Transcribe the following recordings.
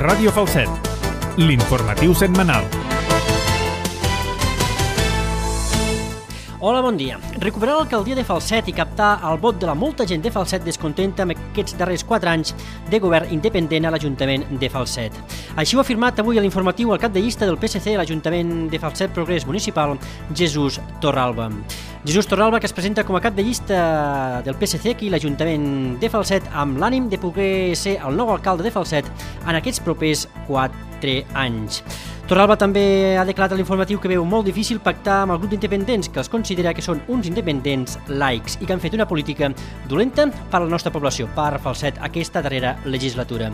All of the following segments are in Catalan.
Ràdio Falset, l'informatiu setmanal. Hola, bon dia. Recuperar l'alcaldia de Falset i captar el vot de la molta gent de Falset descontenta amb aquests darrers 4 anys de govern independent a l'Ajuntament de Falset. Així ho ha afirmat avui a l'informatiu el cap de llista del PSC a l'Ajuntament de Falset Progrés Municipal, Jesús Torralba. Jesús Torralba, que es presenta com a cap de llista del PSC aquí a l'Ajuntament de Falset amb l'ànim de poder ser el nou alcalde de Falset en aquests propers 4 anys. Torralba també ha declarat a l'informatiu que veu molt difícil pactar amb el grup d'independents, que els considera que són uns independents laics i que han fet una política dolenta per a la nostra població, per Falset, aquesta darrera legislatura.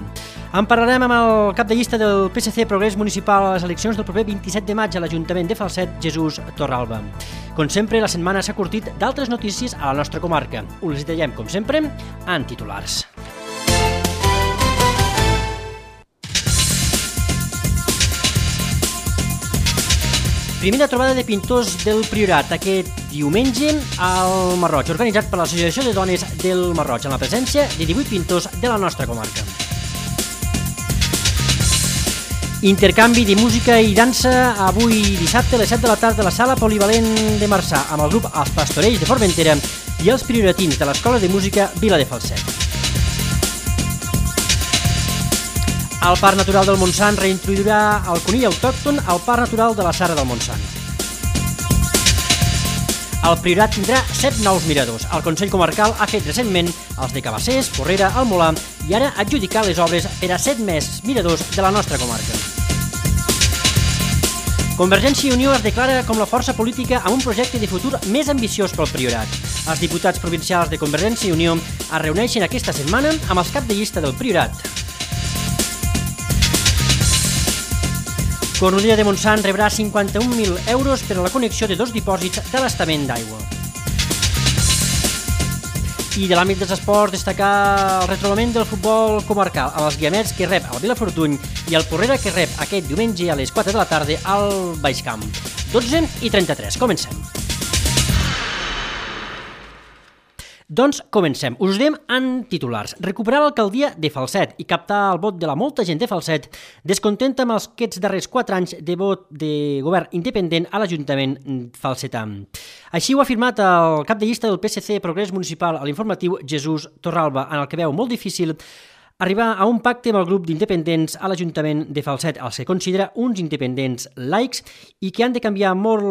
En parlarem amb el cap de llista del PSC Progrés Municipal a les eleccions del proper 27 de maig a l'Ajuntament de Falset, Jesús Torralba. Com sempre, la setmana s'ha curtit d'altres notícies a la nostra comarca. Us les detallem, com sempre, en titulars. Primera trobada de pintors del Priorat aquest diumenge al Marroig, organitzat per l'Associació de Dones del Marroig, amb la presència de 18 pintors de la nostra comarca. Intercanvi de música i dansa avui dissabte a les 7 de la tarda a la sala polivalent de Marçà, amb el grup Els Pastorells de Formentera i els prioratins de l'Escola de Música Vila de Falset. El Parc Natural del Montsant reintroduirà el conill autòcton al Parc Natural de la Sara del Montsant. El Priorat tindrà 7 nous miradors. El Consell Comarcal ha fet recentment els de Cabassers, Porrera, el Molar i ara adjudicar les obres per a 7 més miradors de la nostra comarca. Convergència i Unió es declara com la força política amb un projecte de futur més ambiciós pel Priorat. Els diputats provincials de Convergència i Unió es reuneixen aquesta setmana amb els cap de llista del Priorat. Cornudella de Montsant rebrà 51.000 euros per a la connexió de 2 dipòsits d'abastament d'aigua. I de l'àmbit dels esports, destacar el retrobament del futbol comarcal amb els Guiamets, que rep el Vilafortuny, i el Porrera, que rep aquest diumenge a les 4 de la tarda al Baixcamp. 12:33. Comencem. Doncs comencem. Us ho diem en titulars. Recuperar l'alcaldia de Falset i captar el vot de la molta gent de Falset descontenta amb aquests darrers 4 anys de vot de govern independent a l'Ajuntament falsetà. Així ho ha afirmat el cap de llista del PSC Progrés Municipal a l'informatiu Jesús Torralba, en el que veu molt difícil arribar a un pacte amb el grup d'independents a l'Ajuntament de Falset, els que considera uns independents laics i que han de canviar molt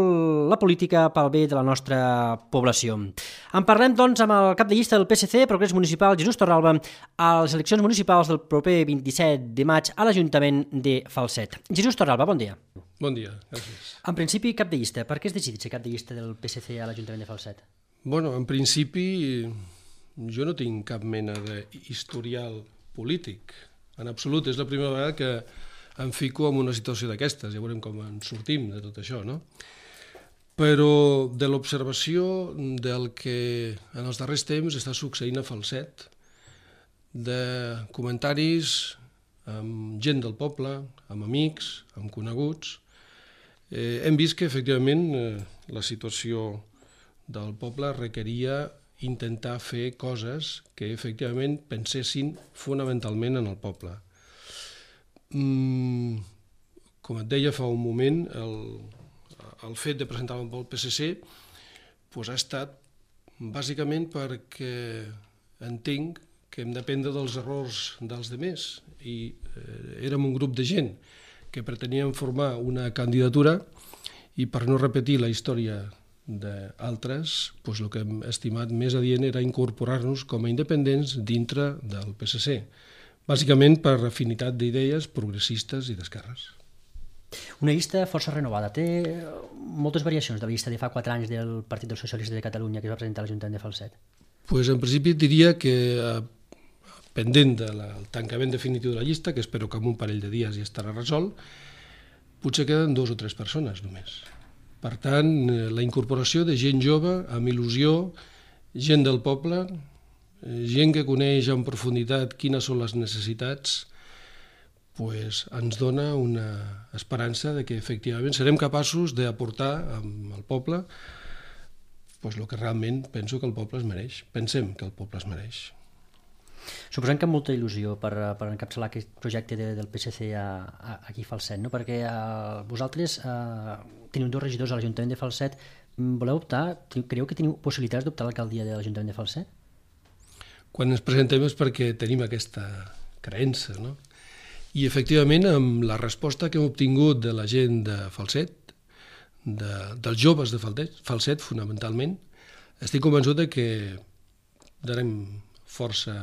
la política pel bé de la nostra població. En parlem, doncs, amb el cap de llista del PSC, Progrés Municipal, Jesús Torralba, a les eleccions municipals del proper 27 de maig a l'Ajuntament de Falset. Jesús Torralba, bon dia. Bon dia, gràcies. En principi, cap de llista. Per què has decidit ser cap de llista del PSC a l'Ajuntament de Falset? Bueno, en principi, jo no tinc cap mena d'historial polític. En absolut, és la primera vegada que em fico en una situació d'aquestes. Ja veurem com en sortim de tot això, no? Però de l'observació del que en els darrers temps està succeint a Falset, de comentaris amb gent del poble, amb amics, amb coneguts, hem vist que efectivament la situació del poble requeria intentar fer coses que efectivament pensessin fonamentalment en el poble. Com et deia fa un moment, el fet de presentar-me pel PSC ha estat bàsicament perquè entenc que hem d'aprendre dels errors dels demés i érem un grup de gent que preteníem formar una candidatura i per no repetir la història d'altres, el que hem estimat més adient era incorporar-nos com a independents dintre del PSC, bàsicament per afinitat d'idees progressistes i d'esquerres. Una llista força renovada. Té moltes variacions de la llista de fa 4 anys del Partit dels Socialistes de Catalunya que es va presentar a l'Ajuntament de Falset. En principi diria que pendent del tancament definitiu de la llista, que espero que en un parell de dies ja estarà resolt, potser queden 2 o 3 persones només. Per tant, la incorporació de gent jove, amb il·lusió, gent del poble, gent que coneix en profunditat quines són les necessitats, ens dona una esperança de que efectivament serem capaços d'aportar al poble el que realment penso que el poble es mereix. Pensem que el poble es mereix. Suposem que amb molta il·lusió per encapçalar aquest projecte del PSC aquí a Falset, no? Perquè vosaltres teniu 2 regidors a l'Ajuntament de Falset, voleu optar, creieu que teniu possibilitats d'optar a l'alcaldia de l'Ajuntament de Falset? Quan ens presentem és perquè tenim aquesta creença, no? I efectivament, amb la resposta que hem obtingut de la gent de Falset, dels joves de Falset fonamentalment, estic convençut de que darem força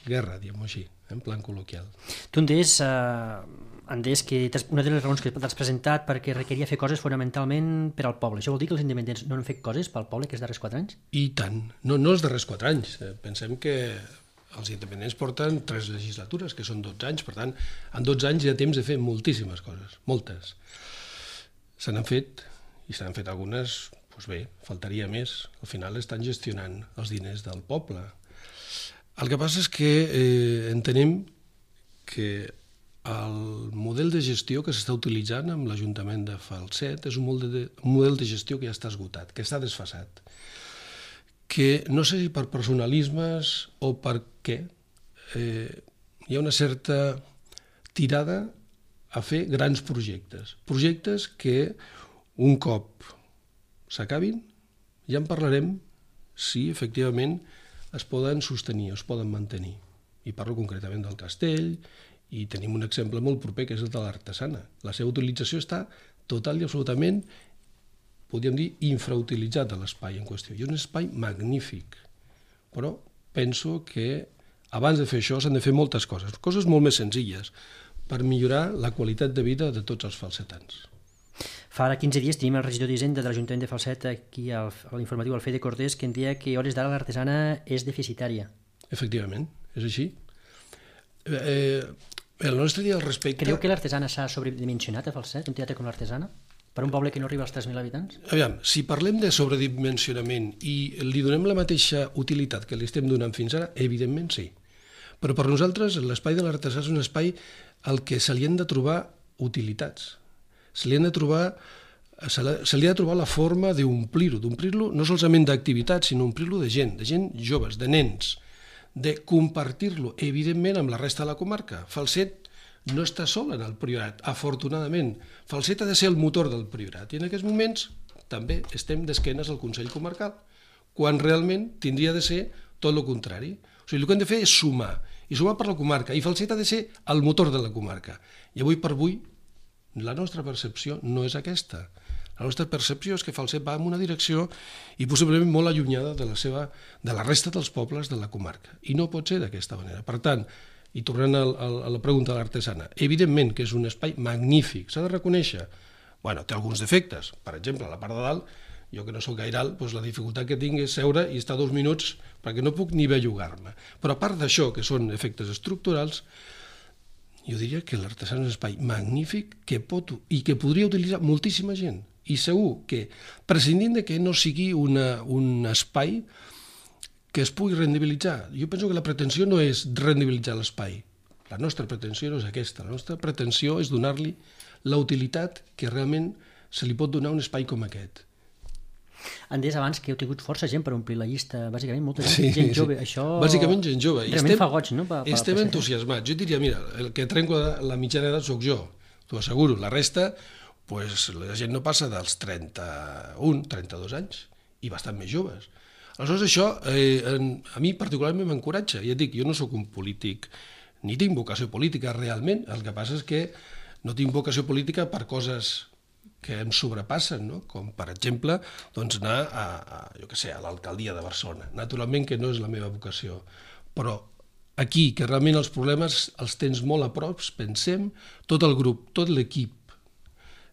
guerra, diguem-ho així, en plan col·loquial. Tu em deies que una de les raons que t'has presentat perquè requeria fer coses fonamentalment per al poble. Això vol dir que els independents no han fet coses pel poble aquests darrers 4 anys? I tant. No els darrers 4 anys. Pensem que els independents porten 3 legislatures, que són 12 anys. Per tant, en 12 anys hi ha temps de fer moltíssimes coses, moltes. Se n'han fet, i se n'han fet algunes, doncs bé, faltaria més. Al final estan gestionant els diners del poble. El que passa és que entenem que el model de gestió que s'està utilitzant amb l'Ajuntament de Falset és un model de gestió que ja està esgotat, que està desfasat, que no sé si per personalismes o per què hi ha una certa tirada a fer grans projectes que un cop s'acabin ja en parlarem si efectivament es poden sostenir, es poden mantenir. I parlo concretament del castell, i tenim un exemple molt proper, que és el de l'Artesana. La seva utilització està total i absolutament, podríem dir, infrautilitzat a l'espai en qüestió. I és un espai magnífic, però penso que abans de fer això s'han de fer moltes coses molt més senzilles, per millorar la qualitat de vida de tots els falsetans. Fa 15 dies tenim el regidor d'Hisenda de l'Ajuntament de Falset aquí a l'informatiu Alfede Cortés que em deia que a hores d'ara l'Artesana és deficitària. Efectivament, és així. El nostre dia al respecte... Creu que l'Artesana s'ha sobredimensionat a Falset, un teatre com l'Artesana? Per un poble que no arriba als 3.000 habitants? Aviam, si parlem de sobredimensionament i li donem la mateixa utilitat que li estem donant fins ara, evidentment sí. Però per nosaltres l'espai de l'Artesà és un espai al que se li han de trobar utilitats. Se li ha de trobar la forma d'omplir-lo no solament d'activitats, sinó omplir-lo de gent joves, de nens, de compartir-lo, evidentment, amb la resta de la comarca. Falset no està sol en el Priorat, afortunadament. Falset ha de ser el motor del Priorat, i en aquests moments també estem d'esquenes al Consell Comarcal, quan realment tindria de ser tot el contrari. O sigui, el que hem de fer és sumar, i sumar per la comarca, i Falset ha de ser el motor de la comarca. I avui per avui, la nostra percepció no és aquesta. La nostra percepció és que Falset va en una direcció i possiblement molt allunyada de la resta dels pobles de la comarca. I no pot ser d'aquesta manera. Per tant, i tornant a la pregunta de l'Artesana, evidentment que és un espai magnífic, s'ha de reconèixer. Bueno, té alguns defectes. Per exemple, a la part de dalt, jo que no soc gaire alt, doncs la dificultat que tinc és seure i estar 2 minuts perquè no puc ni bellugar-me. Però a part d'això, que són efectes estructurals, jo diria que l'Artesana és un espai magnífic que pot i que podria utilitzar moltíssima gent. I segur que, prescindint de que no sigui un espai que es pugui rendibilitzar, jo penso que la pretensió no és rendibilitzar l'espai. La nostra pretensió no és aquesta. La nostra pretensió és donar-li la utilitat que realment se li pot donar a un espai com aquest. Han dit abans que heu tingut força gent per omplir la llista, bàsicament molta gent jove. Això bàsicament gent jove. Realment fa goig, no? Estem entusiasmats. Jo diria, mira, el que trenco la mitjana edat sóc jo, t'ho asseguro. La resta, la gent no passa dels 31, 32 anys, i bastant més joves. Aleshores això a mi particularment m'encoratja. Ja et dic, jo no sóc un polític, ni tinc vocació política realment, el que passa és que no tinc vocació política per coses que em sobrepassen, no? Com per exemple anar a l'alcaldia de Barcelona. Naturalment que no és la meva vocació, però aquí, que realment els problemes els tens molt a prop, pensem, tot el grup, tot l'equip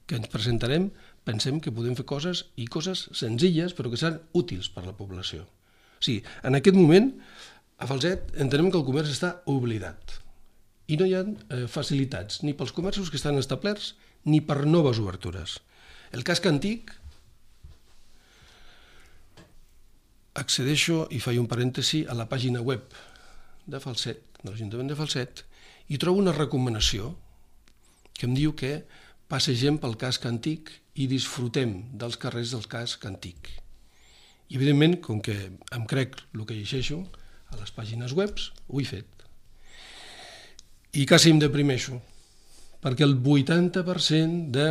que ens presentarem, pensem que podem fer coses senzilles, però que seran útils per a la població. O sigui, en aquest moment, a Falset entenem que el comerç està oblidat i no hi ha facilitats ni pels comerços que estan establerts ni per noves obertures. El casc antic, accedeixo i faig un parèntesi a la pàgina web de Falset, de l'Ajuntament de Falset, i trobo una recomanació que em diu que passegem pel casc antic i disfrutem dels carrers del casc antic. I evidentment, com que em crec el que llegeixo, a les pàgines web, ho he fet. I quasi em deprimeixo, perquè el 80% de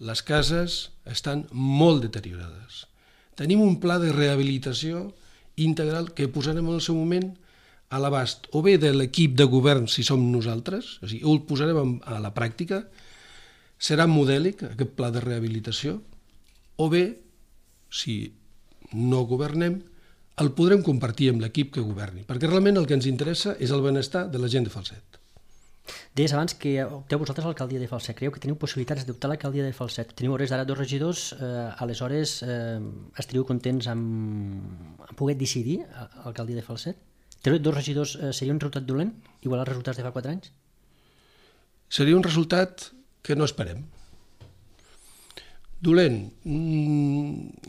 les cases estan molt deteriorades. Tenim un pla de rehabilitació integral que posarem en el seu moment a l'abast o bé de l'equip de govern si som nosaltres, o sigui, ho posarem a la pràctica, serà modèlic aquest pla de rehabilitació, o bé, si no governem, el podrem compartir amb l'equip que governi, perquè realment el que ens interessa és el benestar de la gent de Falset. Deies abans que opteu vosaltres a l'alcaldia de Falset. Creieu que teniu possibilitats d'optar a l'alcaldia de Falset. Teniu hores d'ara 2 regidors, aleshores esteu contents amb poder decidir a l'alcaldia de Falset? 2 regidors seria un resultat dolent, igual als resultats de fa 4 anys? Seria un resultat que no esperem. Dolent.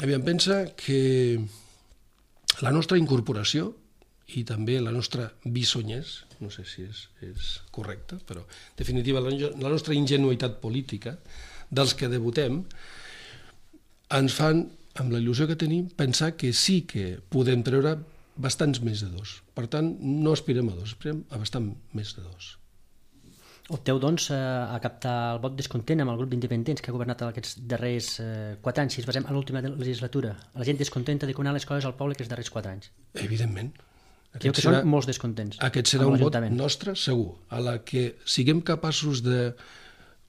Aviam, pensa que la nostra incorporació i també la nostra bisonyès, no sé si és correcte, però en definitiva la nostra ingenuïtat política dels que debutem ens fan, amb la il·lusió que tenim, pensar que sí que podem treure bastants més de 2. Per tant, no aspirem a 2, aspirem a bastant més de 2. Opteu, doncs, a captar el vot descontent amb el grup d'independents que ha governat aquests darrers 4 anys, si ens basem en l'última legislatura. La gent descontenta de com anar les coses al poble aquests darrers 4 anys. Evidentment. Creu que són molts descontents. Aquest serà un vot nostre, segur, a la que siguem capaços de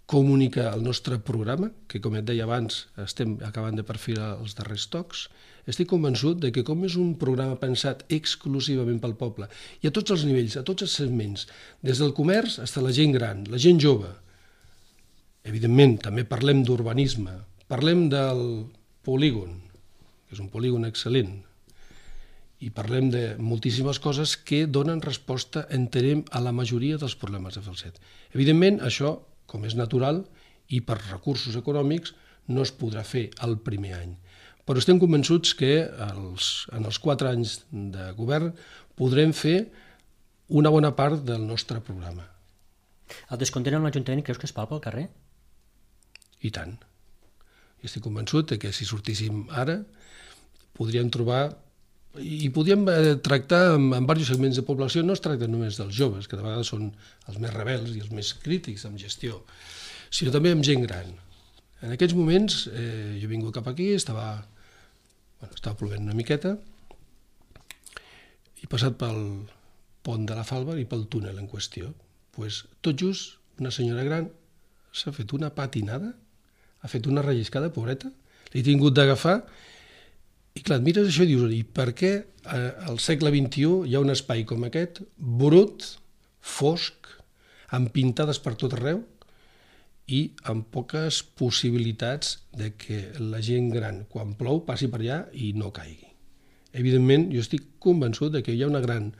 comunicar el nostre programa, que com et deia abans estem acabant de perfilar els darrers tocs. Estic convençut de que com és un programa pensat exclusivament pel poble i a tots els nivells, a tots els segments, des del comerç fins a la gent gran, la gent jove, evidentment també parlem d'urbanisme, parlem del polígon, que és un polígon excel·lent, i parlem de moltíssimes coses que donen resposta, entenem, a la majoria dels problemes de Falset. Evidentment, això, com és natural, i per recursos econòmics, no es podrà fer el primer any. Però estem convençuts que en els 4 anys de govern podrem fer una bona part del nostre programa. El descontent amb l'Ajuntament creus que es palpa al carrer? I tant. I estic convençut que si sortíssim ara podríem trobar i podríem tractar amb diversos segments de població. No es tracta només dels joves, que de vegades són els més rebels i els més crítics en gestió, sinó també amb gent gran. En aquests moments jo he vingut cap aquí, estava plovent una miqueta, i passat pel pont de la Falva i pel túnel en qüestió. Tot just una senyora gran s'ha fet una patinada, ha fet una relliscada, pobreta, l'he tingut d'agafar. I clar, et mires això i dius, i per què al segle XXI hi ha un espai com aquest, brut, fosc, amb pintades per tot arreu i amb poques possibilitats de que la gent gran, quan plou, passi per allà i no caigui. Evidentment, jo estic convençut de que hi ha una gran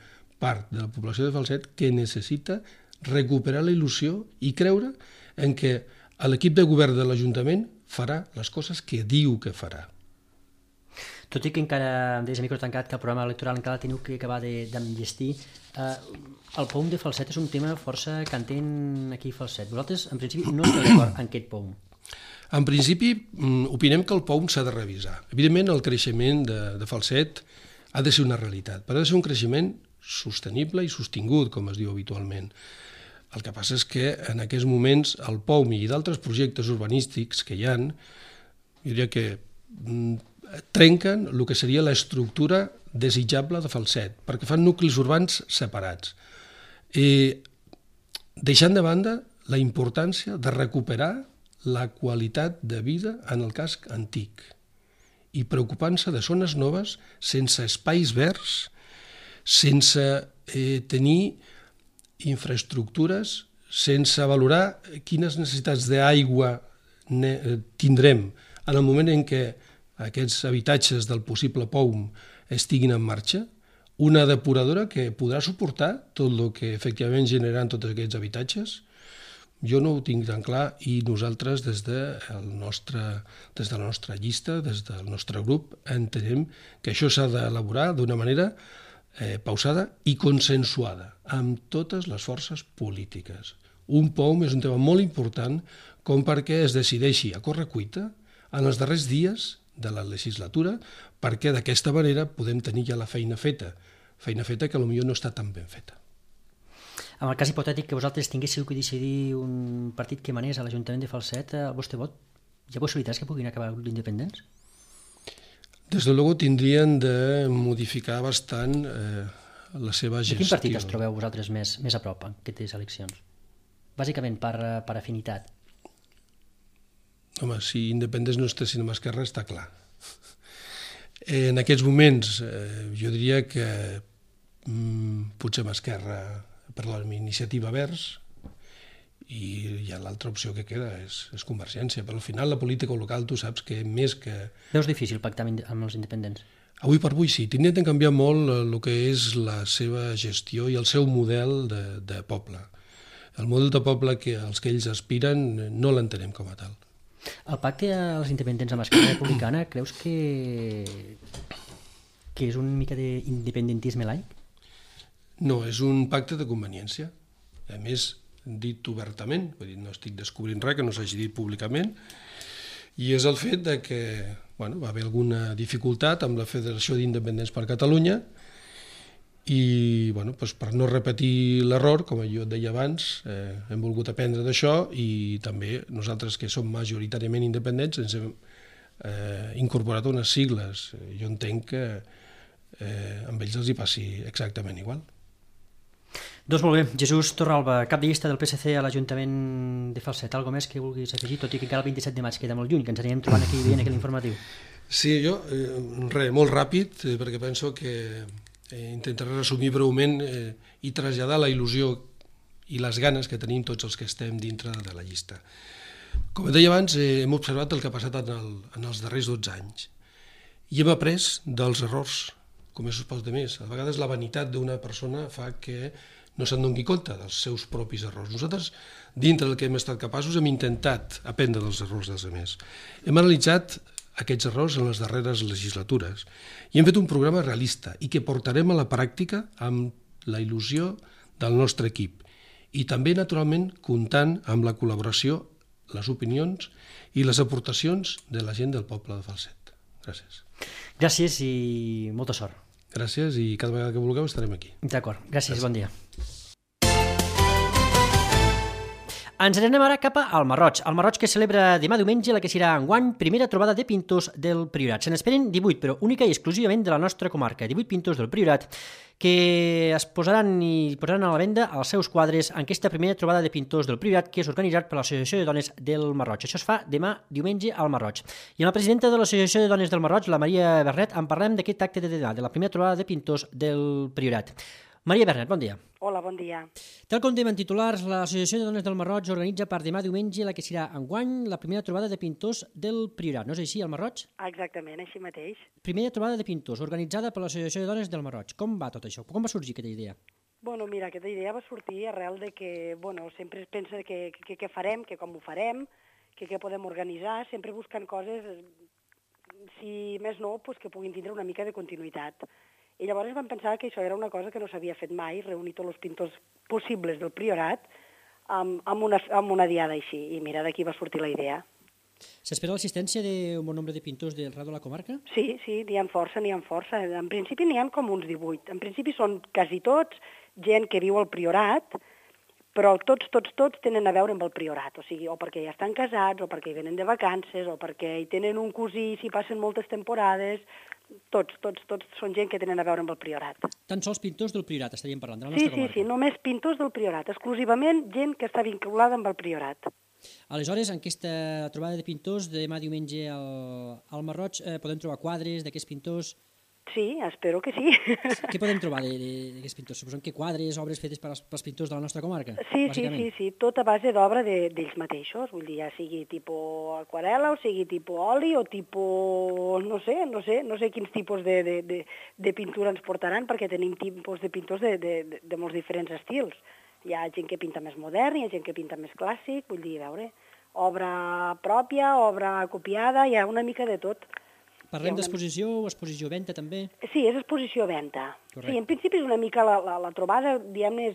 part de la població de Falset que necessita recuperar la il·lusió i creure en que l'equip de govern de l'Ajuntament farà les coses que diu que farà. Tot i que encara em deies a micro tancat que el programa electoral encara teniu que acabar d'enllestir, el POUM de Falset és un tema força cantent aquí a Falset. Vosaltres, en principi, no esteu d'acord en aquest POUM? En principi, opinem que el POUM s'ha de revisar. Evidentment, el creixement de Falset ha de ser una realitat, però ha de ser un creixement sostenible i sostingut, com es diu habitualment. El que passa és que en aquests moments el POUM i d'altres projectes urbanístics que hi ha, jo diria que trenquen el que seria l'estructura desitjable de Falset, perquè fan nuclis urbans separats. Deixant de banda la importància de recuperar la qualitat de vida en el casc antic i preocupant-se de zones noves sense espais verds, sense tenir infraestructures, sense valorar quines necessitats d'aigua tindrem en el moment en què aquests habitatges del possible POUM estiguin en marxa, una depuradora que podrà suportar tot el que efectivament generaran tots aquests habitatges. Jo no ho tinc tan clar i nosaltres des de la nostra llista, des del nostre grup, entenem que això s'ha d'elaborar d'una manera pausada i consensuada amb totes les forces polítiques. Un POUM és un tema molt important com perquè es decideixi a correcuita en els darrers dies de la legislatura, perquè d'aquesta manera podem tenir ja la feina feta feina feta que potser no està tan ben feta. En el cas hipotètic que vosaltres tinguéssiu que decidir un partit que manés a l'Ajuntament de Falset, el vostre vot, hi ha possibilitats que puguin acabar d'independents? Des de luego tindrien de modificar bastant la seva gestió. De quin partit es trobeu vosaltres més a prop en aquestes eleccions? Bàsicament per afinitat. Home, si independents no estessin amb Esquerra està clar. En aquests moments jo diria que potser amb Esquerra per la iniciativa Verds i ja l'altra opció que queda és Convergència, però al final la política local tu saps que més que... Veus difícil pactar amb els independents? Avui per avui sí, tindrien de canviar molt el que és la seva gestió i el seu model de poble. El model de poble als que ells aspiren no l'entenem com a tal. El pacte als independents amb Esquerra Republicana creus que és una mica d'independentisme laic? No, és un pacte de conveniència. A més, dit obertament, vull dir, no estic descobrint res que no s'hagi dit públicament, i és el fet de que va haver alguna dificultat amb la Federació d'Independents per Catalunya i per no repetir l'error, com jo et deia abans, hem volgut aprendre d'això i també nosaltres que som majoritàriament independents ens hem incorporat unes sigles. Jo entenc que amb ells els hi passi exactament igual. Doncs molt bé. Jesús Torralba, cap de llista del PSC a l'Ajuntament de Falset. Algo més que vulguis afegir, tot i que encara el 27 de maig queda molt lluny, que ens anirem trobant aquí veient aquell informatiu. Sí, jo, molt ràpid, perquè penso que intentaré resumir breument i traslladar la il·lusió i les ganes que tenim tots els que estem dintre de la llista. Com et deia abans, hem observat el que ha passat en els darrers 12 anys i hem après dels errors, com és els demés. A vegades la vanitat d'una persona fa que no se'n doni compte dels seus propis errors. Nosaltres, dintre del que hem estat capaços, hem intentat aprendre dels errors dels demés. Hem analitzat aquests errors en les darreres legislatures i hem fet un programa realista i que portarem a la pràctica amb la il·lusió del nostre equip i també, naturalment, comptant amb la col·laboració, les opinions i les aportacions de la gent del poble de Falset. Gràcies. Gràcies i molta sort. Gràcies i cada vegada que vulgueu estarem aquí. D'acord, gràcies, bon dia. Ens anem ara cap al Marroig. El Marroig que celebra demà diumenge la que serà enguany primera trobada de pintors del Priorat. Se n'esperen 18, però única i exclusivament de la nostra comarca. 18 pintors del Priorat que es posaran a la venda els seus quadres en aquesta primera trobada de pintors del Priorat que és organitzat per l'Associació de Dones del Marroig. Això es fa demà diumenge al Marroig. I amb la presidenta de l'Associació de Dones del Marroig, la Maria Bernet, en parlem d'aquest acte de demà, de la primera trobada de pintors del Priorat. Maria Bernet, bon dia. Hola, bon dia. Tal com dèiem en titulars, l'Associació de Dones del Marroig organitza per demà diumenge la que serà enguany la primera trobada de pintors del Priorat. No és així, al Marroig? Exactament, així mateix. Primera trobada de pintors organitzada per l'Associació de Dones del Marroig. Com va tot això? Com va sorgir aquesta idea? Mira, aquesta idea va sortir arrel de que, sempre es pensa que què farem, que com ho farem, que què podem organitzar, sempre buscant coses, si més no, que puguin tindre una mica de continuïtat. I llavors vam pensar que això era una cosa que no s'havia fet mai, reunir tots els pintors possibles del Priorat amb una diada així. I mira, d'aquí va sortir la idea. S'espera l'assistència d'un bon nombre de pintors del Rado de la comarca? Sí, n'hi ha força. En principi n'hi ha com uns 18. En principi són quasi tots gent que viu al Priorat, però tots tenen a veure amb el Priorat, o sigui, o perquè ja estan casats, o perquè hi venen de vacances, o perquè hi tenen un cosí, s'hi passen moltes temporades. Tots són gent que tenen a veure amb el Priorat. Tan sols pintors del Priorat estaríem parlant, de la nostra comarca? Sí, només pintors del Priorat, exclusivament gent que està vinculada amb el Priorat. Aleshores, en aquesta trobada de pintors, demà diumenge al Marroig, podem trobar quadres d'aquests pintors? Sí, espero que sí. Què podem trobar d'aquests pintors? Suposem que quadres, obres fetes pels pintors de la nostra comarca? Sí, tot a base d'obra d'ells mateixos, vull dir, ja sigui tipus aquarela, o sigui tipus oli, o tipus, no sé quins tipus de pintura ens portaran, perquè tenim tipus de pintors de molts diferents estils. Hi ha gent que pinta més modern, hi ha gent que pinta més clàssic, vull dir, a veure, obra pròpia, obra copiada, hi ha una mica de tot. Parlem d'exposició o exposició-venta, també? Sí, és exposició-venta. Sí, en principi és una mica la trobada, diguem-ne,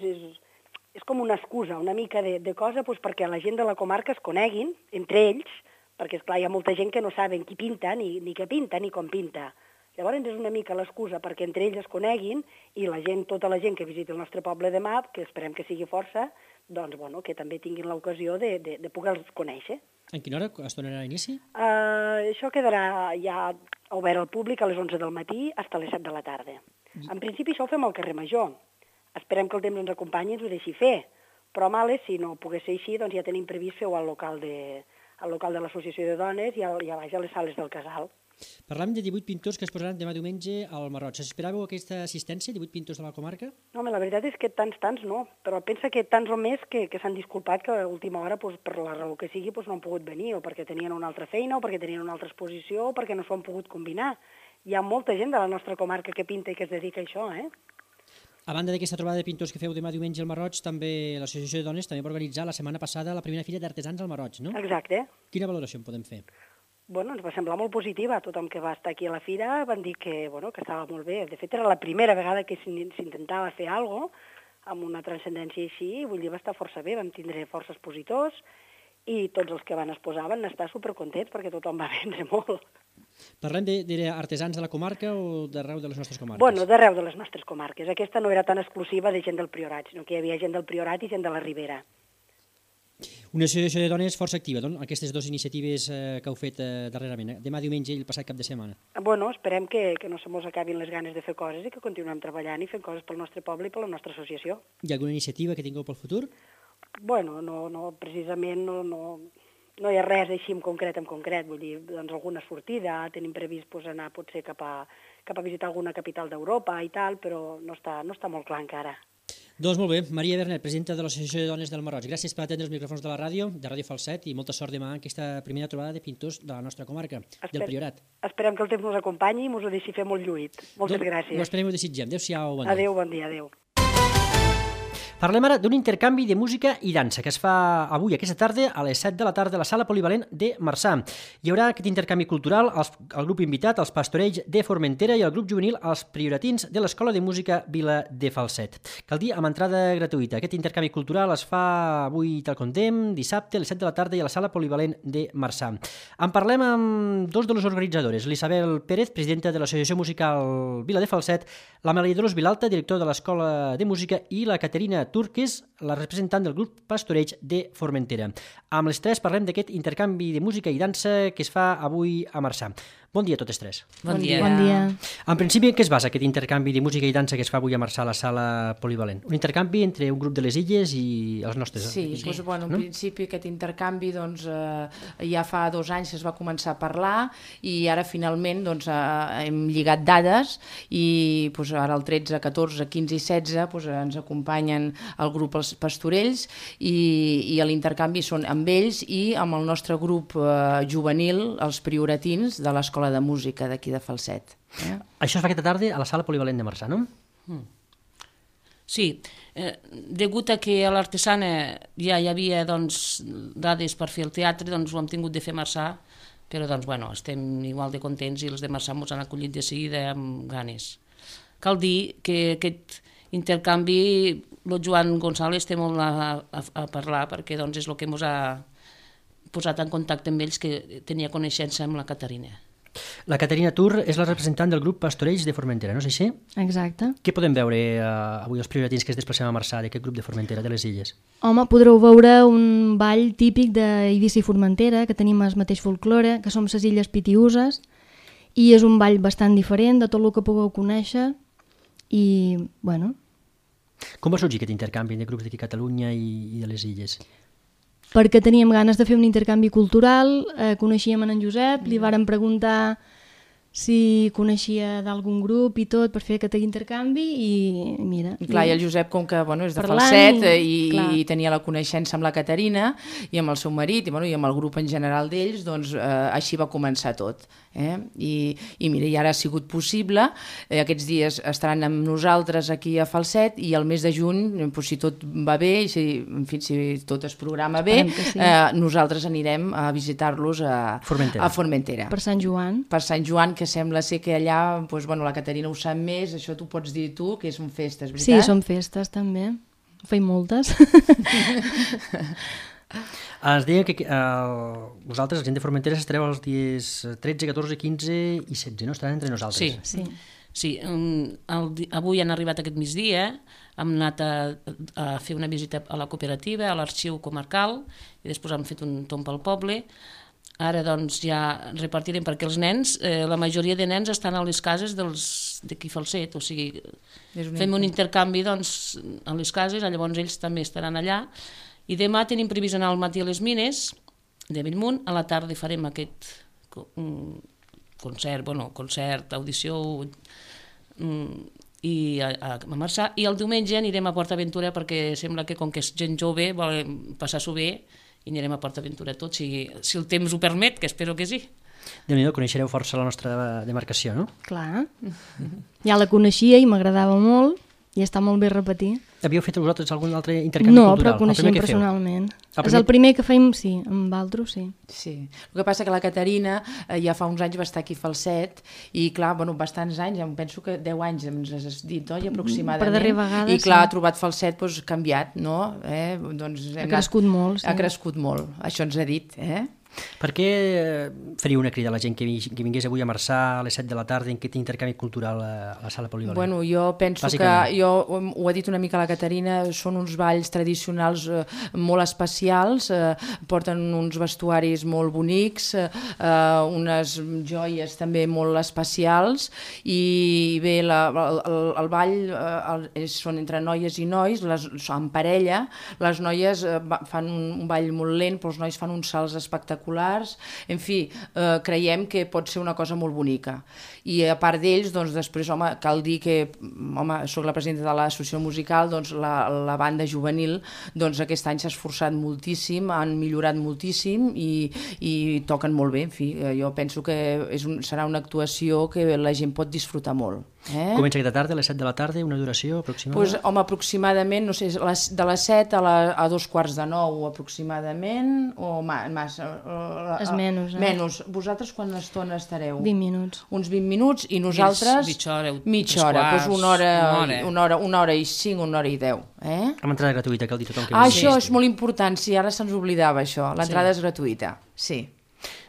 és com una excusa, una mica de cosa perquè la gent de la comarca es coneguin entre ells, perquè, esclar, hi ha molta gent que no saben qui pinta, ni què pinta, ni com pinta. Llavors és una mica l'excusa perquè entre ells es coneguin i la gent, tota la gent que visiti el nostre poble demà, que esperem que sigui força, doncs, bueno, que també tinguin l'ocasió de poder-los conèixer. En quina hora es donarà inici? Això quedarà ja obert al públic a les 11 del matí fins a les 7 de la tarda. En principi això ho fem al carrer Major. Esperem que el temps ens acompanyi i ens ho deixi fer, però males, si no pogués ser així, doncs ja tenim previst fer-ho al local de l'Associació de Dones i a baix a les sales del Casal. Parlàvem de 18 pintors que es posaran demà diumenge al Marroig. Esperàveu aquesta assistència, 18 pintors de la comarca? No, la veritat és que tants no, però pensa que tants o més que s'han disculpat que a última hora, per la raó que sigui, no han pogut venir, o perquè tenien una altra feina, o perquè tenien una altra exposició, o perquè no s'ho han pogut combinar. Hi ha molta gent de la nostra comarca que pinta i que es dedica a això, A banda d'aquesta trobada de pintors que feu demà diumenge al Marroig, també l'Associació de Dones també va organitzar la setmana passada la primera fira d'artesans al Marroig, no? Exacte. Quina valoració en podem fer? Bueno, ens va semblar molt positiva. Tothom que va estar aquí a la fira van dir que estava molt bé. De fet, era la primera vegada que s'intentava fer alguna cosa amb una transcendència així, vull dir, va estar força bé, vam tindre força expositors i tots els que van exposar van estar supercontents perquè tothom va vendre molt. Parlem d'artesans de la comarca o d'arreu de les nostres comarques? Bueno, d'arreu de les nostres comarques. Aquesta no era tan exclusiva de gent del Priorat, sinó que hi havia gent del Priorat i gent de la Ribera. Una associació de dones força activa, doncs, aquestes dues iniciatives que heu fet darrerament, demà diumenge i el passat cap de setmana. Bueno, esperem que no se mos acabin les ganes de fer coses i que continuem treballant i fent coses pel nostre poble i per la nostra associació. Hi ha alguna iniciativa que tingueu pel futur? Bueno, no precisament no hi ha res així en concret, vull dir, doncs alguna sortida, tenim previst anar potser cap a visitar alguna capital d'Europa i tal, però no està molt clar encara. Doncs molt bé, Maria Bernet, presidenta de l'Associació de Dones del Marroig. Gràcies per atendre els micròfons de la ràdio, de Ràdio Falset, i molta sort demà en aquesta primera trobada de pintors de la nostra comarca, del Priorat. Esperem que el temps ens acompanyi i ens ho deixi fer molt lluït. Moltes gràcies. Ho esperem i ho desitgem. Adéu-siau, bon dia. Adéu, bon dia, adéu. Parlem ara d'un intercanvi de música i dansa que es fa avui, aquesta tarda, a les 7 de la tarda a la Sala Polivalent de Marçà. Hi haurà aquest intercanvi cultural, el grup invitat, els Pastorells de Formentera i el grup juvenil, els Prioratins de l'Escola de Música Vila de Falset. Cal dir, amb entrada gratuïta. Aquest intercanvi cultural es fa avui, tal com dèiem, dissabte a les 7 de la tarda i a la Sala Polivalent de Marçà. En parlem amb dos de les organitzadores, l'Isabel Pérez, presidenta de l'Associació Musical Vila de Falset, la Maria Dolors Vilalta, director de l'Escola de Música, i la Caterina que és la representant del grup Pastorells de Formentera. Amb les tres parlem d'aquest intercanvi de música i dansa que es fa avui a Marçà. Bon dia a totes tres. Bon dia. Bon dia. En principi, en què es basa aquest intercanvi de música i dansa que es fa avui a Marçà a la Sala Polivalent? Un intercanvi entre un grup de les illes i els nostres? Sí, doncs, bueno, en principi aquest intercanvi doncs, ja fa 2 anys que es va començar a parlar i ara finalment doncs, hem lligat dades i doncs, ara el 13, 14, 15 i 16 doncs, ens acompanyen el grup Els Pastorells i l'intercanvi són amb ells i amb el nostre grup juvenil, els Prioratins de l'Escola de Música d'aquí de Falset. Això es fa aquesta tarda a la Sala Polivalent de Marçà, no? Sí, degut a que a l'Artesana ja hi havia doncs, dades per fer el teatre, doncs ho hem tingut de fer a Marçà, però doncs, bueno, estem igual de contents i els de Marçà ens han acollit de seguida amb ganes. Cal dir que aquest intercanvi, el Joan González té molt a parlar perquè doncs, és el que ens ha posat en contacte amb ells, que tenia coneixença amb la Caterina. La Caterina Tur és la representant del grup Pastorells de Formentera, no és així? Exacte. Què podem veure avui els prioratins que es desplacem a Marçà d'aquest grup de Formentera, de les illes? Home, podreu veure un ball típic d'Eivissa i Formentera, que tenim el mateix folklore, que som les illes Pitiüses, i és un ball bastant diferent de tot el que pugueu conèixer, i, bueno... Com va sorgir aquest intercanvi de grups d'aquí a Catalunya i de les illes? Perquè teníem ganes de fer un intercanvi cultural, coneixíem en Josep, li vàrem preguntar si coneixia d'algun grup i tot per fer aquest intercanvi i mira... I clar, i el Josep, com que bueno, és de Falset i tenia la coneixença amb la Caterina i amb el seu marit i amb el grup en general d'ells, doncs així va començar tot. I mira, i ara ha sigut possible, aquests dies estaran amb nosaltres aquí a Falset i el mes de juny, si tot va bé i si tot es programa bé, nosaltres anirem a visitar-los a Formentera. Per Sant Joan. Per Sant Joan, que sembla ser que allà, doncs, bueno, la Caterina ho sap més, això t'ho pots dir tu, que són festes, veritat? Sí, són festes també, feim moltes. Es deia que vosaltres, la gent de Formentera, estareu els dies 13, 14, 15 i 16, no? Estaran entre nosaltres. Sí. Avui han arribat aquest migdia, hem anat a fer una visita a la cooperativa, a l'arxiu comarcal, i després hem fet un tomb pel poble. Ara doncs ja repartirem, perquè els nens, la majoria de nens estan a les cases d'aquí Falset, o sigui, fem un intercanvi doncs, a les cases, llavors ells també estaran allà. I demà tenim previst anar al matí a les mines de Bellmunt, a la tarda farem aquest concert, audició i a Marçà, i el diumenge anirem a Port Aventura perquè sembla que com que és gent jove volem passar-s'ho bé i anirem a Port Aventura tots, si el temps ho permet, que espero que sí. Déu-n'hi-do, coneixereu força la nostra demarcació, no? Clar. Ja la coneixia i m'agradava molt i està molt bé repetir. Havíeu fet vosaltres algun altre intercanvi cultural? No, però coneixem personalment. És el primer que fèiem, sí, amb Valtro, sí. Sí, el que passa que la Caterina ja fa uns anys va estar aquí a Falset i clar, bastants anys, em penso que 10 anys ens has dit, oi, aproximadament. Per darrera vegada, i clar, ha trobat Falset canviat, no? Ha crescut molt, sí. Ha crescut molt, això ens ha dit, Per què faríeu una crida a la gent que vingués avui a Marçà a les 7 de la tarda en aquest intercanvi cultural a la sala polivalent? Bueno, jo penso que, ho ha dit una mica la Caterina, són uns balls tradicionals molt especials, porten uns vestuaris molt bonics, unes joies també molt especials, i bé, el ball són entre noies i nois, en parella, les noies fan un ball molt lent, però els nois fan uns salts espectaculars. En fi, creiem que pot ser una cosa molt bonica. I a part d'ells, doncs després, cal dir que, soc la presidenta de l'associació musical, doncs la banda juvenil, doncs aquest any s'ha esforçat moltíssim, han millorat moltíssim i toquen molt bé. En fi, jo penso que serà una actuació que la gent pot disfrutar molt. Comença aquesta tarda, a les 7 de la tarda, una duració aproximada? Doncs, aproximadament, no sé, de les 7 a 2:45 aproximadament, o és menys. Menys. Vosaltres quanta estona estareu? 20 minuts. Uns 20 minuts, i nosaltres... Mitja hora. Doncs una hora i 5, una hora i 10. Amb entrada gratuïta, cal dir tothom que això és molt important, sí, ara se'ns oblidava això, l'entrada és gratuïta, sí.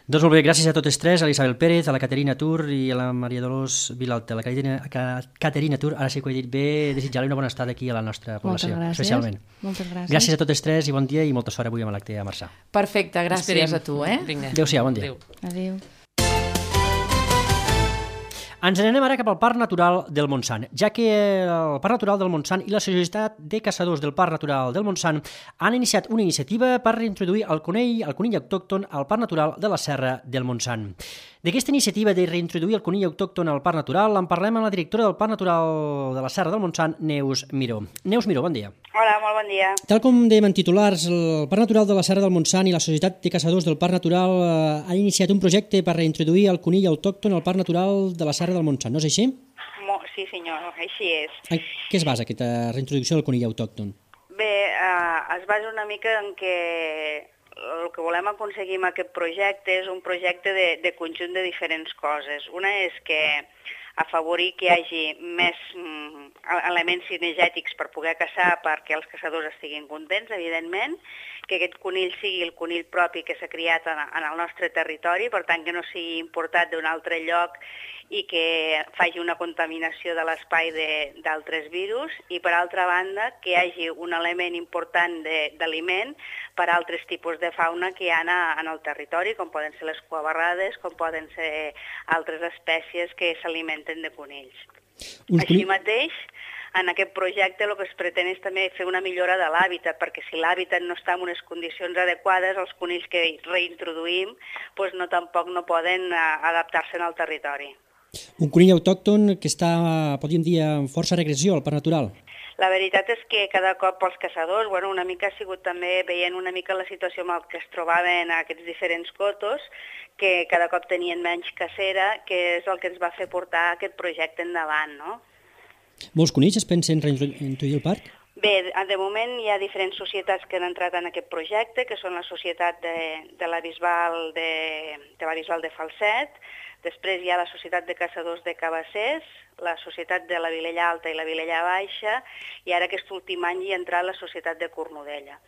Doncs molt bé, gràcies a totes tres, a l'Isabel Pérez, a la Caterina Tur i a la Maria Dolors Vilalta. La Caterina Tur, ara sí que ho he dit bé, desitjar-li una bona estada aquí a la nostra població, especialment. Moltes gràcies. Gràcies a totes tres i bon dia i molta sort avui amb l'acte a Marçà. Perfecte, gràcies a tu. Adéu-siau, bon dia. Adéu. Ens n'anem ara cap al Parc Natural del Montsant, ja que el Parc Natural del Montsant i la Societat de Caçadors del Parc Natural del Montsant han iniciat una iniciativa per reintroduir el conill autòcton al Parc Natural de la Serra del Montsant. D'aquesta iniciativa de reintroduir el conill autòcton al Parc Natural en parlem amb la directora del Parc Natural de la Serra del Montsant, Neus Miró. Neus Miró, bon dia. Hola, molt bon dia. Tal com dèiem en titulars, el Parc Natural de la Serra del Montsant i la Societat de Caçadors del Parc Natural han iniciat un projecte per reintroduir el conill autòcton al Parc Natural de la Serra del Montsant, no és així? Sí, senyor, així és. En què es basa aquesta reintroducció del conill autòcton? Bé, es basa una mica en que el que volem aconseguir amb aquest projecte és un projecte de conjunt de diferents coses. Una és que afavorir que hi hagi més elements cinegètics per poder caçar perquè els caçadors estiguin contents, evidentment, que aquest conill sigui el conill propi que s'ha criat en el nostre territori, per tant que no sigui importat d'un altre lloc i que faci una contaminació de l'espai d'altres virus, i per altra banda que hi hagi un element important d'aliment per a altres tipus de fauna que hi ha en el territori, com poden ser les cuabarrades, com poden ser altres espècies que s'alimenten de conills. Així mateix, en aquest projecte el que es pretén és també fer una millora de l'hàbitat, perquè si l'hàbitat no està en unes condicions adequades, els conills que reintroduïm tampoc no poden adaptar-se al territori. Un conill autòcton que està, podríem dir, en força regressió al Parc Natural. La veritat és que cada cop els caçadors, una mica ha sigut també veient una mica la situació amb què es trobaven aquests diferents cotos, que cada cop tenien menys cacera, que és el que ens va fer portar aquest projecte endavant, no? Molts conills es pensen reintroduir al parc? Bé, de moment hi ha diferents societats que han entrat en aquest projecte, que són la Societat de la Bisbal de Falset, després hi ha la Societat de Caçadors de Cabassers, la Societat de la Vilella Alta i la Vilella Baixa, i ara aquest últim any hi ha entrat la Societat de Cornudella.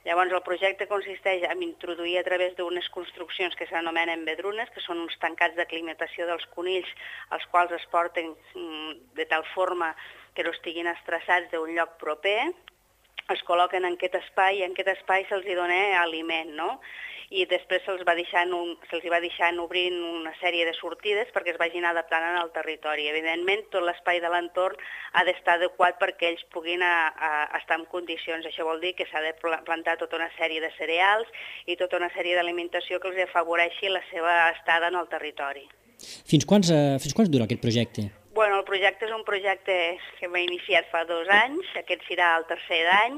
Llavors, el projecte consisteix en introduir a través d'unes construccions que s'anomenen vedrunes, que són uns tancats d'aclimatació dels conills, els quals es porten de tal forma que no estiguin estressats d'un lloc proper, es col·loquen en aquest espai i en aquest espai se'ls dona aliment, no? I després se'ls va deixant obrint una sèrie de sortides perquè es vagin adaptant al territori. Evidentment, tot l'espai de l'entorn ha d'estar adequat perquè ells puguin estar en condicions. Això vol dir que s'ha de plantar tota una sèrie de cereals i tota una sèrie d'alimentació que els afavoreixi la seva estada en el territori. Fins quants dura aquest projecte? Bueno, el projecte és un projecte que m'he iniciat fa 2 anys, aquest serà el tercer any,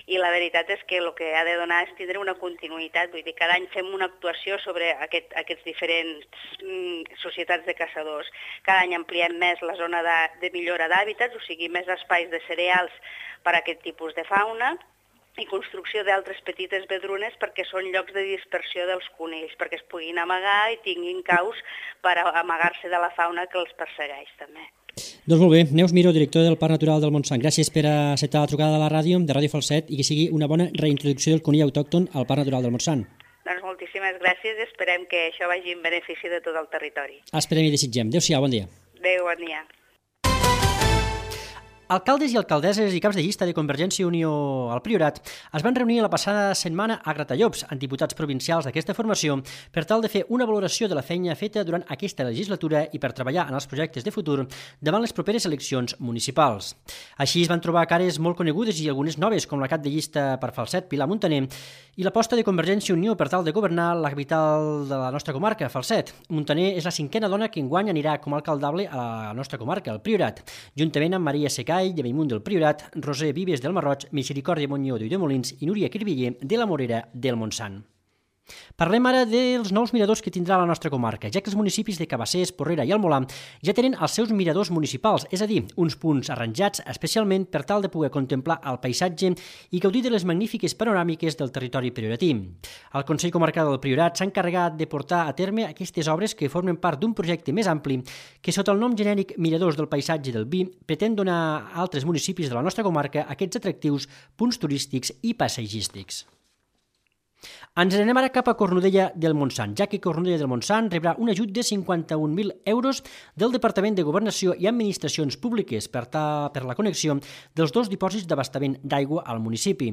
i la veritat és que el que ha de donar és tindre una continuïtat, vull dir, cada any fem una actuació sobre aquests diferents societats de caçadors. Cada any ampliem més la zona de millora d'hàbitats, o sigui, més espais de cereals per a aquest tipus de fauna, i construcció d'altres petites vedrunes perquè són llocs de dispersió dels conills, perquè es puguin amagar i tinguin caus per amagar-se de la fauna que els persegueix també. Doncs molt bé, Neus Miró, director del Parc Natural del Montsant. Gràcies per acceptar la trucada de la ràdio, de Ràdio Falset, i que sigui una bona reintroducció del conill autòcton al Parc Natural del Montsant. Doncs moltíssimes gràcies i esperem que això vagi en benefici de tot el territori. Esperem i desitgem. Adéu-siau, bon dia. Adéu, bon dia. Alcaldes i alcaldesses i caps de llista de Convergència i Unió al Priorat es van reunir la passada setmana a Gratallops amb diputats provincials d'aquesta formació per tal de fer una valoració de la feina feta durant aquesta legislatura i per treballar en els projectes de futur davant les properes eleccions municipals. Així es van trobar cares molt conegudes i algunes noves, com la cap de llista per Falset, Pilar Muntaner, i l'aposta de Convergència i Unió per tal de governar la capital de la nostra comarca, Falset. Muntaner és la 5a dona que enguany anirà com a alcaldable a la nostra comarca, el Priorat, juntament amb Maria Secà de Bellmunt del Priorat, Roser Vives del Marroig, Misericòrdia Montlló d'Ulldemolins i Núria Cribiller de la Morera del Montsant. Parlem ara dels nous miradors que tindrà la nostra comarca, ja que els municipis de Cabassers, Porrera i Almolà ja tenen els seus miradors municipals, és a dir, uns punts arranjats especialment per tal de poder contemplar el paisatge i gaudir de les magnífiques panoràmiques del territori prioratí. El Consell Comarcal del Priorat s'ha encarregat de portar a terme aquestes obres que formen part d'un projecte més ampli que, sota el nom genèric Miradors del Paisatge del Vi, pretén donar a altres municipis de la nostra comarca aquests atractius punts turístics i paisatgístics. Ens anem ara cap a Cornudella del Montsant, ja que Cornudella del Montsant rebrà un ajut de 51.000 euros del Departament de Governació i Administracions Públiques per la connexió dels 2 dipòsits d'abastament d'aigua al municipi.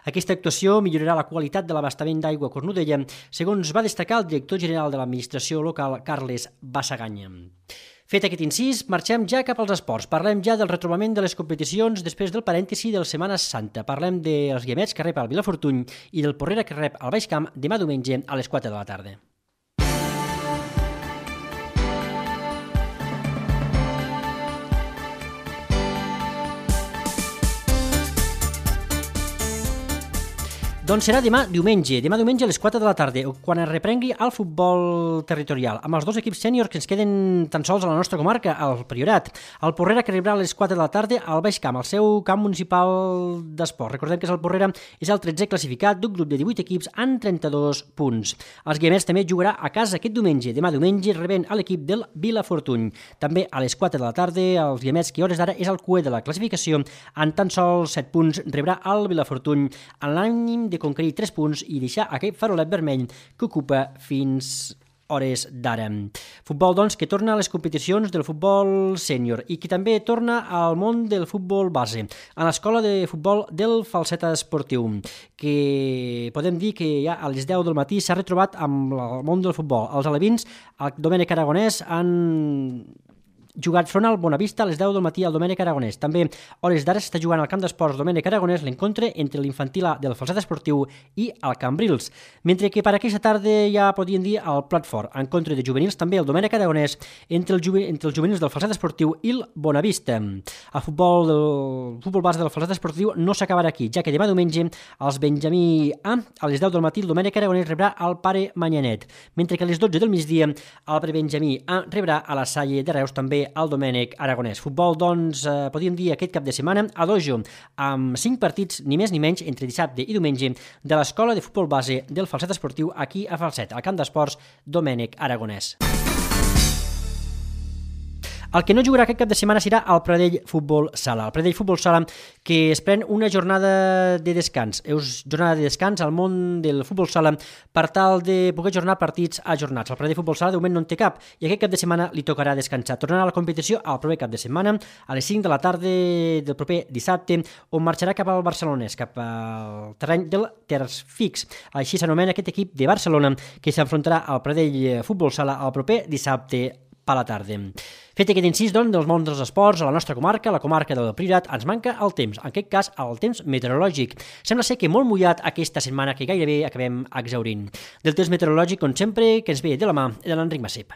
Aquesta actuació millorarà la qualitat de l'abastament d'aigua a Cornudella, segons va destacar el director general de l'Administració local, Carles Bassaganya. Fet aquest incís, marxem ja cap als esports. Parlem ja del retrobament de les competicions després del parèntesi de la Setmana Santa. Parlem dels Guiamets que rep el Vilafortuny i del Porrera que rep el Baix Camp demà diumenge a les 4 de la tarda. Doncs serà demà diumenge a les 4 de la tarda, quan es reprengui el futbol territorial, amb els 2 equips sèniors que ens queden tan sols a la nostra comarca, al Priorat. El Porrera que rebrà a les 4 de la tarda al Baix Camp, al seu camp municipal d'esport. Recordem que el Porrera és el 13è classificat d'un grup de 18 equips amb 32 punts. Els Guiamets també jugarà a casa aquest diumenge, demà diumenge rebent a l'equip del Vilafortuny. També a les 4 de la tarda, els Guiamets, que a hores d'ara és el cuer de la classificació, amb tan sols 7 punts, rebrà el Vilafortuny en l'ànim de conquerir 3 punts i deixar aquest farolet vermell que ocupa fins hores d'ara. Futbol, doncs, que torna a les competicions del futbol sènior i que també torna al món del futbol base, a l'escola de futbol del Falset Esportiu, que podem dir que ja a les 10 del matí s'ha retrobat amb el món del futbol. Els alevins, el Domènec Aragonès, han jugat front al Bonavista a les 10 del matí al Domènec Aragonès. També a hores d'ara s'està jugant al camp d'esports Domènec Aragonès l'encontre entre l'infantil A del Falset Esportiu i el Cambrils, mentre que per aquesta tarda ja podien dir el plat fort, encontre de juvenils també el Domènec Aragonès entre els juvenils del Falset Esportiu i el Bonavista. El futbol base del Falset Esportiu no s'acabarà aquí, ja que demà diumenge els Benjamí A a les 10 del matí el Domènec Aragonès rebrà el Pare Manyanet, mentre que a les 12 del migdia el Prebenjamí A rebrà a la Salle de Reus també el Domènec Aragonès. Futbol, doncs, podríem dir aquest cap de setmana a dojo, amb 5 partits, ni més ni menys, entre dissabte i diumenge, de l'escola de futbol base del Falset Esportiu aquí a Falset, al camp d'esports Domènec Aragonès. El que no jugarà aquest cap de setmana serà el Pradell Futbol Sala. El Pradell Futbol Sala que es pren una jornada de descans. És jornada de descans al món del futbol sala per tal de poder ajornar partits ajornats. El Pradell Futbol Sala de moment no en té cap i aquest cap de setmana li tocarà descansar. Tornarà a la competició el proper cap de setmana a les 5 de la tarda del proper dissabte, on marxarà cap al Barcelonès, cap al terreny del Terç Fix. Així s'anomena aquest equip de Barcelona que s'enfrontarà al Pradell Futbol Sala el proper dissabte a la tarda. Fet aquest incís, doncs, dels mons dels esports, a la nostra comarca, la comarca del Priorat, ens manca el temps, en aquest cas el temps meteorològic. Sembla ser que molt mullat aquesta setmana que gairebé acabem exhaurint. Del temps meteorològic, com sempre, que ens ve de la mà de l'Enric Massip.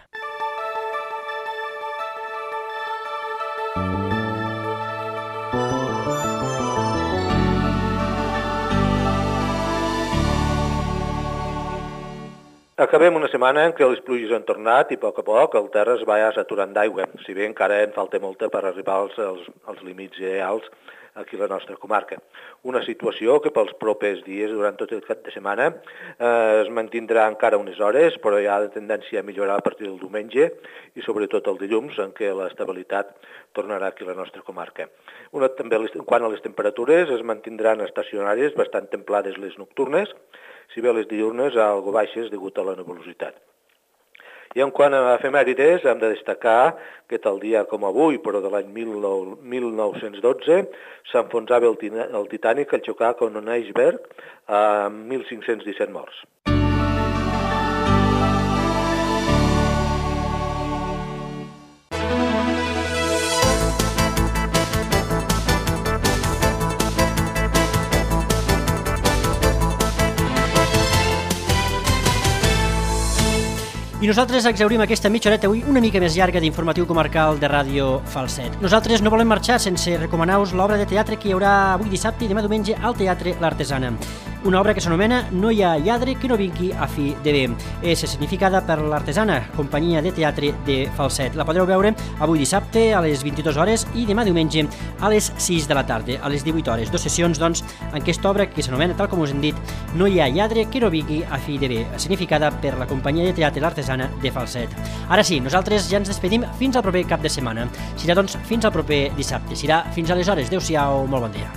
Acabem una setmana en què les pluges han tornat i a poc el terra es va saturant d'aigua, si bé encara en falta molta per arribar als límits ideals aquí a la nostra comarca. Una situació que pels propers dies, durant tot el cap de setmana, es mantindrà encara unes hores, però hi ha de tendència a millorar a partir del diumenge i sobretot el dilluns, en què l'estabilitat tornarà aquí a la nostra comarca. També, quant a les temperatures, es mantindran estacionàries, bastant templades les nocturnes, si bé les diurnes algo baixes degut a la nebulositat. I en quant a efemèrides, hem de destacar que tal dia com avui, però de l'any 1912, s'enfonsava el Titanic al xocar con un iceberg amb 1.517 morts. I nosaltres exhaurim aquesta mitja horeta avui una mica més llarga d'informatiu comarcal de Ràdio Falset. Nosaltres no volem marxar sense recomanar-vos l'obra de teatre que hi haurà avui dissabte i demà diumenge al Teatre L'Artesana. Una obra que s'anomena No hi ha lladre que no vingui a fi de bé. És significada per l'Artesana, companyia de teatre de Falset. La podreu veure avui dissabte a les 22 hores i demà diumenge a les 6 de la tarda, a les 18 hores. 2 sessions, doncs, en aquesta obra que s'anomena, tal com us hem dit, No hi ha lladre que no vingui a fi de bé, significada per la companyia de teatre L'Artesana de Falset. Ara sí, nosaltres ja ens despedim fins al proper cap de setmana. Serà, doncs, fins al proper dissabte. Serà fins aleshores. Adéu-siau, molt bon dia.